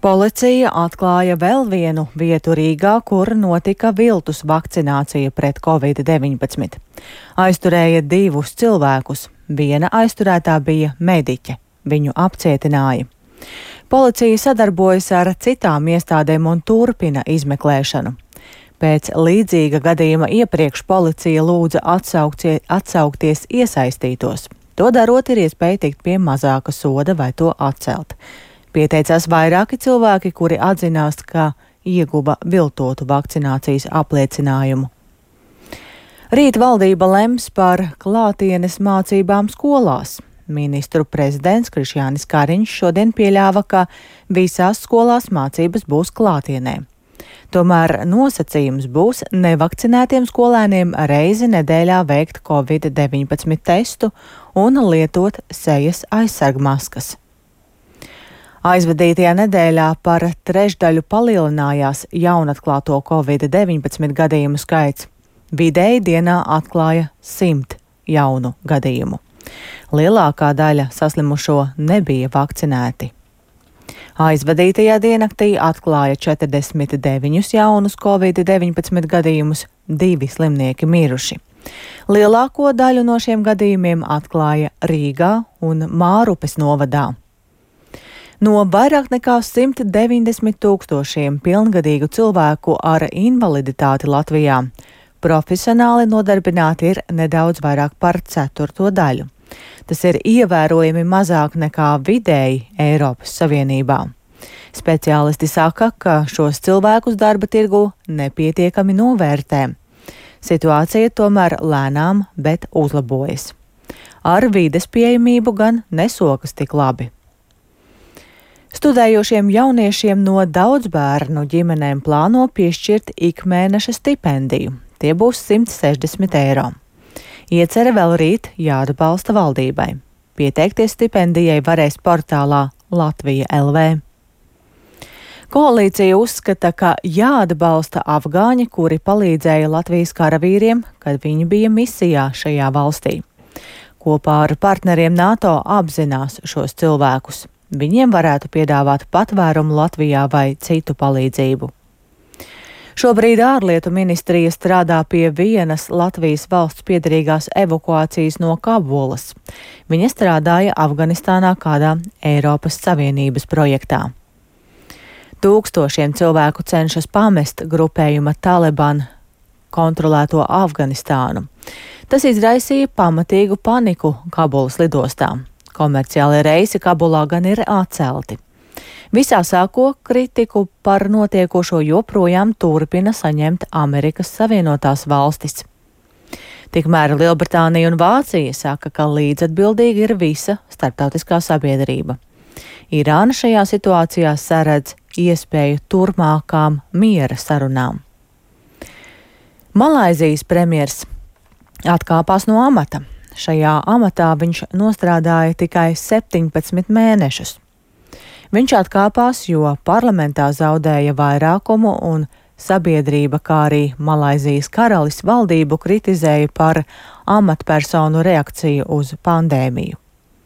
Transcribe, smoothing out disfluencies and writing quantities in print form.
Policija atklāja vēl vienu vietu Rīgā, kur notika viltus vakcinācija pret Covid-19. Aizturēja 2 cilvēkus. Viena aizturētā bija mediķe. Viņu apcietināja. Policija sadarbojas ar citām iestādēm un turpina izmeklēšanu. Pēc līdzīga gadījuma iepriekš policija lūdza atsaukties iesaistītos. To darot, ir iespēja tikt pie mazāka soda vai to atcelt. Pieteicās vairāki cilvēki, kuri atzinās, ka ieguva viltotu vakcinācijas apliecinājumu. Rīt valdība lems par klātienes mācībām skolās. Ministru prezidents Krišjānis Kariņš šodien pieļāva, ka visās skolās mācības būs klātienē. Tomēr nosacījums būs nevakcinētiem skolēniem reizi nedēļā veikt Covid-19 testu un lietot sejas aizsargmaskas. Aizvadītajā nedēļā par trešdaļu palielinājās jaunatklāto Covid-19 gadījumu skaits. Vidēji dienā atklāja 100 jaunu gadījumu. Lielākā daļa saslimušo nebija vakcinēti. Aizvadītajā diennaktī atklāja 49 jaunus Covid-19 gadījumus, 2 slimnieki miruši. Lielāko daļu no šiem gadījumiem atklāja Rīgā un Mārupes novadā. No vairāk nekā 190 000 pilngadīgu cilvēku ar invaliditāti Latvijā profesionāli nodarbināti ir nedaudz vairāk par 1/4 daļu. Tas ir ievērojami mazāk nekā vidēji Eiropas Savienībā. Speciālisti saka, ka šos cilvēkus darba tirgu nepietiekami novērtē. Situācija tomēr lēnām, bet uzlabojas. Ar vides pieejamību gan nesokas tik labi. Studējošiem jauniešiem no daudzbērnu ģimenēm plāno piešķirt ikmēneša stipendiju. Tie būs 160 eiro. Iecere vēl rīt jāatbalsta valdībai. Pieteikties stipendijai varēs portālā Latvija LV. Koalīcija uzskata, ka jāatbalsta afgāņi, kuri palīdzēja Latvijas karavīriem, kad viņi bija misijā šajā valstī. Kopā ar partneriem NATO apzinās šos cilvēkus. Viņiem varētu piedāvāt patvērumu Latvijā vai citu palīdzību. Šobrīd ārlietu ministrija strādā pie vienas Latvijas valsts piederīgās evakuācijas no Kabulas. Viņa strādāja Afganistānā kādā Eiropas Savienības projektā. Tūkstošiem cilvēku cenšas pamest grupējuma Taliban kontrolēto Afganistānu. Tas izraisīja pamatīgu paniku Kabulas lidostā. Komerciālie reisi Kabulā gan ir atcelti. Visā sāko kritiku par notiekošo joprojām turpina saņemt Amerikas Savienotās valstis. Tikmēr Lielbritānija un Vācija saka, ka līdzatbildīga ir visa starptautiskā sabiedrība. Irāna šajā situācijā saredz iespēju turpmākām miera sarunām. Malaizijas premjers atkāpās no amata. Šajā amatā viņš nostrādāja tikai 17 mēnešus. Viņš atkāpās, jo parlamentā zaudēja vairākumu un sabiedrība, kā arī Malaizijas karalis valdību kritizēja par amatpersonu reakciju uz pandēmiju.